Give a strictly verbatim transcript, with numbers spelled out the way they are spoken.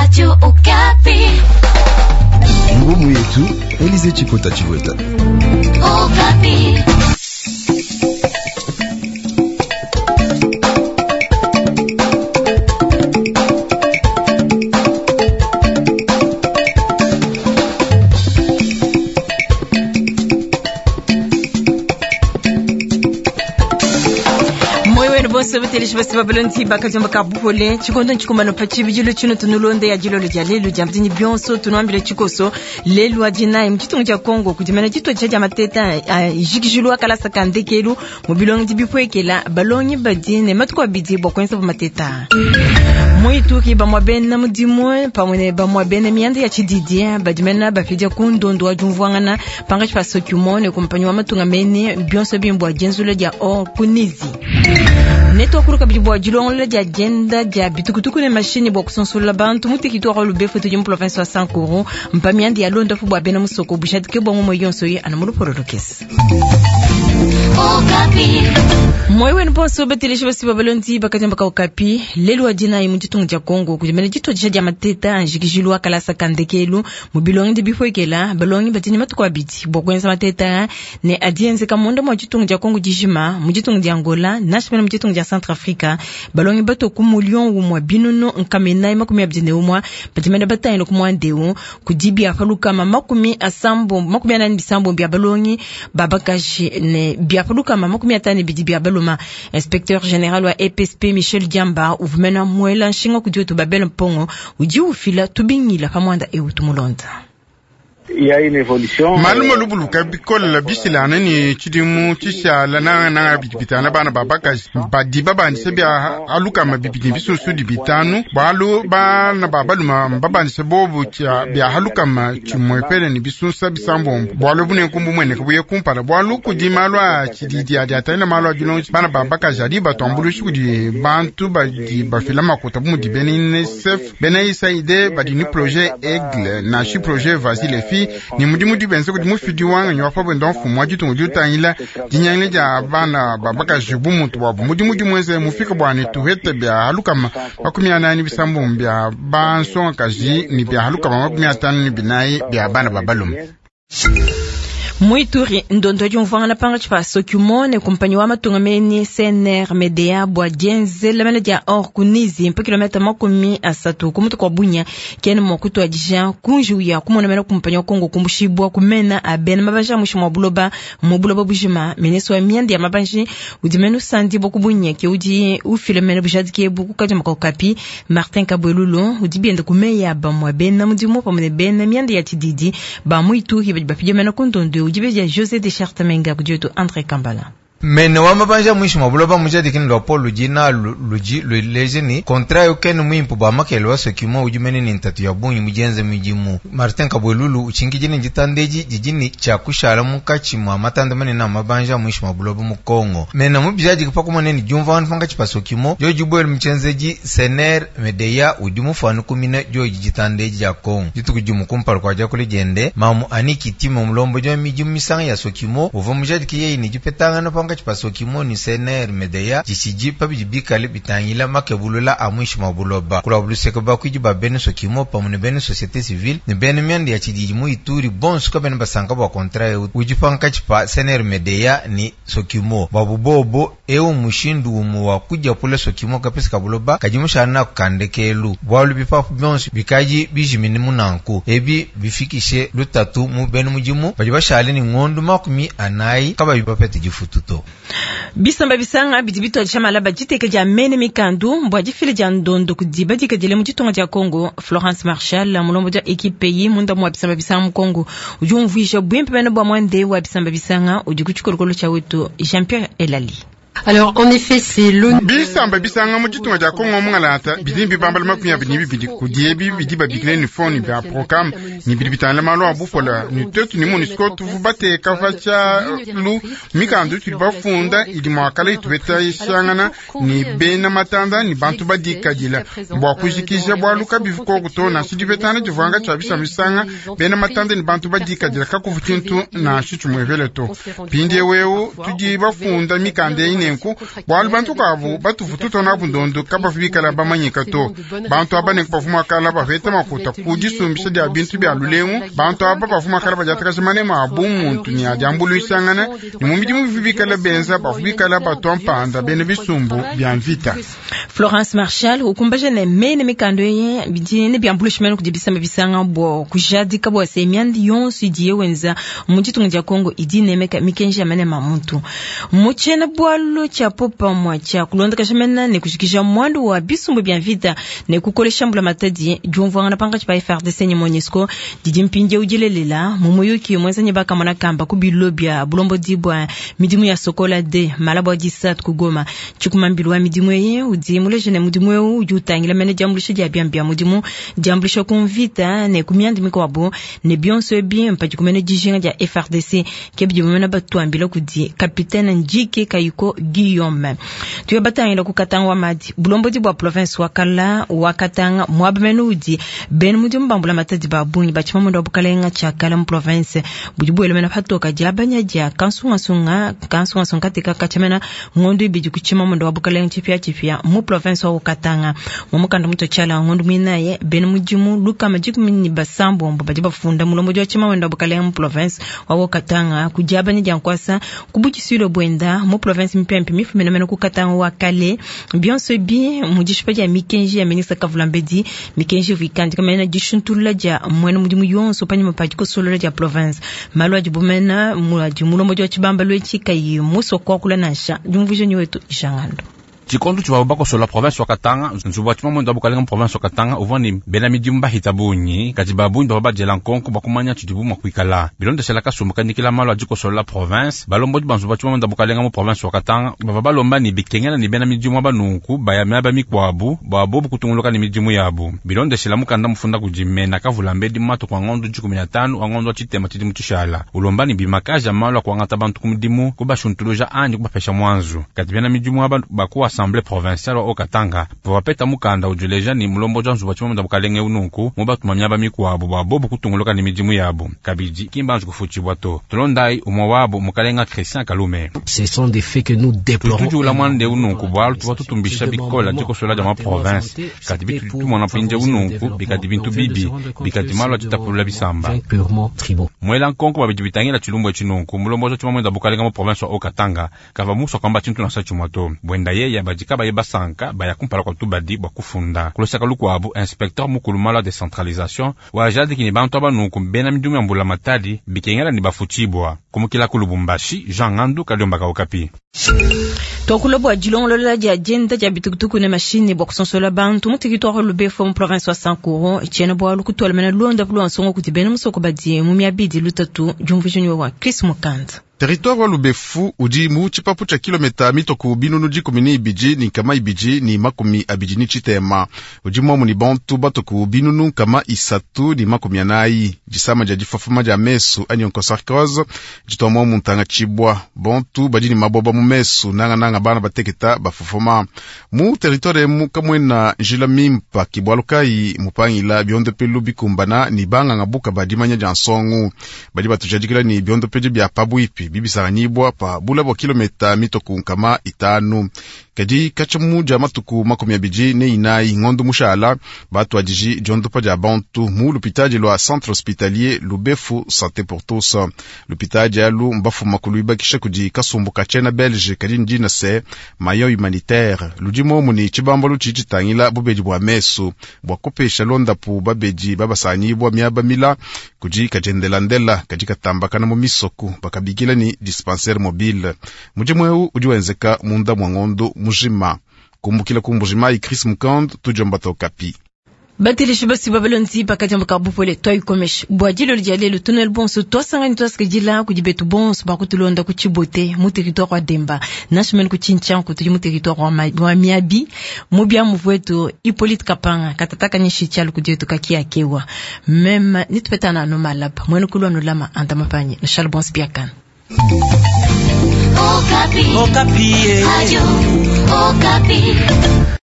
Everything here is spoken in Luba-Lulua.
Radio Okapi. Ngumu yetu Elize Chikota Chiweta. Okapi. Bonso betelishi basi babalonzi bakajamba kabuhole chikondo nchikumano pachi bijilo chino tunulonde ya jilolo ja lelu ja mtini bionso tunuambile chikoso lelu ajinaye mchitungu cha Kongo kujimana chito cha ja mateta jikijulu akalasa kandekelu mubilongi dibipwekela balongi badine matuko abidi bwa kwenza mateta Muituki bamwa bena mudimu pamwe ne bamwa bena mianda ya chididi badimena bafidia kundondo ajumvwangana panga chipaso kyumone kumpanyi wa matunga mene bionso bimbwa jenzule ja or kunizi neto akuluka bidi dilongola dia dienda dia bitukutuku ne mashini bua kusonsola bantu mutekiti wa lubefu tudi mu province wa Sankuru mpamiandi ya londa fu bua bena musoko bushadike bua ngomo yonso ye ana mulupololokesi moyo wenu bonso beteleshi basi babalondi bakajamba ka Okapi lelu wa dina mu ditunga dia Kongo kudimene ditodisha dia mateta anjikijilu akalasa kandekelu mu bilongi di bipwekela balongi badini matuku abidi bua kuenza mateta ne adienzeka munda mua ditunga dia Kongo dijima mu ditunga dia Angola nashi mene mu ditunga dia Centrafrica balongi bato ku mullion umua binunu nkamenai makumi abidi ne umua badimene batangile ku muandeu kudi biapalukama makumi asambo makumi anani bisambo bia balongi babakaji ne biapalukama makumi atano bidi bia baluma. Inspecteur général wa E P S P Michel Diamba uvumena mwela nshinga kudi wetu Babel Mpongo udi ufila tubingila pamwanda eu tumulonda. Malume lubuluka bikola bisilana ni chidimu chishala na na bitana bana babakaji badi babandise bya alukama bibidi bisusu di bitanu balu bana babaluma babandise bobu cha bya halukama chimwepele ni bisusa bisambombo bwalu bune kumbu mwene kubuye kumpala bwalu kudi malwa chididi adi ataina malwa julonji bana babakaji adi batambulushi kudi bantu badi bafila makuta bumudi bene N S F bene I S A I D badi ni projet Aigle na shi projet Vasile fi ni mudimu dibenze kudi mufidi wanga nywa bwendo mfumu wa ditunga diutangila dinyangile dia bana babakaji bumuntu bwabo mudimu dimweze mufika bwane tuhete bya halukama makumi anani bisambo bya bansongakaji ni bya halukama makumi atano ni binayi bya bana babalume. Muituri ndondo jumvwangana panga chipaso kyumone kumpanyi wa matunga meni C N R M D A bwa dienzela mene dia or kunizi mpa kilomita makumi asatu kumutu kwa bunya kene mwakutu adija kunju ya kumona mene kumpanyi wa Kongo kumbushibwa kumena abena mabanja mushi mwa buloba mwa buloba bujima meneso wa miandi ya mabanji udimenu sandi boku bunya ke udi ufile mene bujadike buku kaja makapi Martin Kabwelulu udibiende kumeya ba mwa bena mudimu pamene bena miandi ya tididi ba muituri badi bapije mene kundondo Ujibeja José de Chartamenga kudioto André Kambala. Mene wa mabanja mwishi mwabuloba mujadikini lwa Paul lujina luji luleje ni kontra yokeni mwimpu ba makele wa sokimo ujumene ni ntatu ya bunyi mujenze mijimu Martin Kabwelulu uchingijini jitandeji jijini cha kushala mukachi mwa matanda mane na mabanja mwishi mwabuloba mu Kongo. Mene mubijadiki pakumone ni jumva wanufanga chipa sokimo joji bwelu mchenzeji Sener Medeya udimu fanu kumine joji jitandeji ya Kongo. Jituku jumu kumpalu kwa jakule jende mamu aniki timo mlombo jwa mijimu misanga ya sokimo uva mujadiki yeyi ni jipetanga no panga pasokimo ni C N R Medeya jisiji pabijibikale bitangila makebulula amwishi mabuloba kula buluseke bakwiji ba bene sokimo pamwe bene société civile ni bene myandi ya chidiji mu Ituri bonso ka bene basanka bwa kontra eu ujipanka chipa C N R Medeya ni sokimo babubobo eu mushindu umu wa kuja pula sokimo kapesa kabuloba kajimushana kandekelu bwalu bipapu bonso bikaji bijimini munanku ebi bifikishe lutatu mu bene mujimu baji bashale ni ngondu makumi anayi kabayi bapete jifututo. Bisamba bisanga bidi bitwa malaba jiteke dia mene mikandu mbwa jifile dia ndondo kudiba dikadile mu ditunga dia Kongo. Florence Marshall mulombo dia equipe yi munda mwa bisamba bisanga mu Kongo udi umvuisha bwimpe bene bwa mwande wa bisamba bisanga udi ku tshikolokolo tshia wetu Jean-Pierre Elali. Alors en effet c'est l'ONU bisamba bisanga mu ditunga dia Kongo mungalata bidi bibambala makumi abidi bibidi kudi ebi bidi babikile ni foni bya programme ni bidi bitangila malu a bupola ni tetu ni MONUSCO tuvu bateka facha lu mikandu tudi bafunda idi muakala itubeta ishangana ni bena matanda ni bantu badikadila bua kujikija bualu kabivuko kutona sidibetana divanga tshia bisamba bisanga bena matanda ni bantu badikadila kakuvu tshintu na tshitshumuevele to pindi eweu tudi bafunda mikanda ine nenku bwalu bantu kabu batuvu tutona ndondo kabavu bikala bamanyika to. Bantu aba nenku bavu makala baveta makuta ku disumbisha dia bintu bya lulengu. Bantu aba bavu makala badiatakaja manema abu muntu ni adiambuluishangana ni mu midimu bivu bikala benza bavu bikala batua mpanda bena bisumbu bya mvita. Florence Marshall ukumbaja ne mene mikando ye bidi ne biambuluishimene kudi bisamba bisanga bwa kujadika bwa se myandi yonso idiye wenza mu ditunga dia Kongo idi nemeka mikenji ya manema muntu. Mu tshiena bwalu tshia popamwa tshia kulondakaja mena ne kujikija mwandu wa bisumbu bya mvita ne kukolesha mbula matadi diumvuangana pankatshi pa F R D C ne MONUSCO didi mpindieu dilelela mu muyuki muenza bakamona kamba ku bilo bya bulombodi bwa midimu ya Sokola D malabo ya disatu ku Goma. Tshikumambilu wa midimu ye udi muleje ne mudimu eu udi utangila mene diambuluisha dia biambi bya mudimu diambuluisha ku mvita ne ku miandi mikuabu ne bionso ebi mpadi kumene dijinga dia F R D C ke bidi bimena batuambila kudi capitaine Njike Kayiko Guillaume. Tuye batangila ku Katanga wa Madi bulombodi bwa province wa Kala wa Katanga mwaba mene udi bena mudimu bambula matadi ba bungi batshima mwendo wa bukalenga tshia Kala mu province budi buele mena patoka dia banya dia kansungasunga kansungasunga katika kachamena ngondo ibidi kuchima mwendo wa bukalenga tshipia tshipia mu province wa Katanga. Mu mukanda muto tshala ngondo minaye bena mudimu luka majikumi ni basambombo badi bafunda mulombodi wa tshima mwendo wa bukalenga mu province wa Katanga kudiabanya dia nkwasa kubukisilo bwenda mu province mpempe mifumena mena ku Katanga wa Kale bionso bi mu dishipa dia mikenji ya ministre Kavulambedi mikenji vikandi kamena dishuntulula dia mwena mudimu yonso panyima pa dikosolola dia province malu adi bumena mu mulombodi wa tshibamba lwetshi kayi muso kwakula nansha diumvuija ni wetu Jangando. Tshikondo tshivua bakosola province wa Katanga nzubu wa tshima mwendo wa bukalenga province wa Katanga uvua ni bena midimu bahita bungi kadi babungi bavua badiela nkonko bakumanya tshidibu mua kuikala bilondeshela kasumbu kandikila malu a dikosolola province balombodi ba nzubu wa tshima mwendo wa bukalenga mu province wa Katanga bavua balomba ni bikengela ni bena midimu aba nunku baya miaba mikuabu bua bobu kutunguluka ni midimu yabu bilondeshela mukanda mufunda kudi mena Kavulambedi matuku a ngondo dikumi na tanu a ngondo wa tshitema tshidimu tshishala ulomba ni bimakaja malu a kuangata bantu ku mudimu kubashuntuluja anyi kubapesha mwanzu kadi bena midimu aba bakuwa assemblée provinciale wa Katanga bapeta mukanda ujuleja ni mulombo wa nzubu wa tshima bukalenge ununku mu batuma miaba mikuabu bua bobu kutunguluka ni midimu yabu kabidi kimbanzu kufutshibwa to tulondai umwe wabo mukalenga Christian Kalume. Ce sont des faits que nous déplorons. Tutujula mwande ununku bwalu tuva tutumbisha bikola dikosola dia ma province kadi bitu tumona pinje ununku bikadi bintu bibi bikadi malu atitapulula bisamba mwela nkonko babidi bitangila tshilumbu etshi nunku mulombo wa tshima mwenda bukalenga mu province wa Katanga kava muso kwamba tshintu nasa tshimwa to bwenda yeya badika baye basanka baya kumpala kwa tubadi bwa kufunda kulosaka lukuabu inspecteur mukulu malu a décentralisation wa jadiki ni bantu aba nunku bena midimu ya mbula matadi bikengela ni bafutshibwa kumukila ku Lubumbashi Jean Ngandu Kaliombaka Okapi. Twakula bwa dilongolola dia dienda dia bitukutuku ne mashini bwa kusonsola bantu mu territoire Lubefu mu province wa Sankuru tshiena bwalu kutwala mena londa pulu nsongo kuti bena musoko badi mu miabidi lutatu diumvuija wa Chris Mukanda. Territoire wa Lubefu udi mu tshipapu tshia kilomita mitoku binunu dikumi ni ibidi ni nkama ibidi ni makumi abidi ni tshitema udi muamu ni bantu batoku binunu nkama isatu ni makumi anayi disama dia difafuma dia mesu anyi onchocercose ditwa muamu ntanga tshibwa bantu badi ni maboba mu mesu nangananga bana bateketa bafafuma mu territoire emu kamwena njila mimpa kibwalu kayi mupangila biondopelu bikumbana ni banganga buka badimanya dia nsongu badi batujadikila ni biondopedi bia pabwipi bibisanganyibwa pa bula bwa kilomita mitoku nkama itanu kadi katshamu dia matuku makumi abidi ne inayi ngondo mushala batuadiji diondopa dia bantu mu lupitadi lwa centre hospitalier Lubefu santé pour tous lupitadi alu mbafuma kuluibakisha kudi kasumbu ka tshiena belge kadi ndina se mayo humanitaire ludi momu ni tshibambalu tshidi tshitangila bubedi bua mesu bua kupesha londapu babedi babasanganyibwa miaba mila kudi kadjendelandela kadi katambakana mu misoku bakabikila ni dispensaire mobile mudimu eu udi wenzeka munda mwa ngondo mujima kumbukila kumbujima Chris Mukand tujomba Okapi. Bateleshi basi babalondi pakati mbuka bupole twaikomesha bwa dilolo dia lelo tunel bonso twasangani twasikidila kudi betu bonso bakutulonda ku Tshibote mu territoire wa Demba nansha ku Tshintshanku tudi mu territoire wa Miabi mu bia muvu Hippolyte Kapanga katataka nyishi tshialu kudi yetu kakiakewa meme nitupetana anu malapa mwene kulu anu lama andamapanye nshal bonso biakana. Okapi. Okapi. Radio Okapi.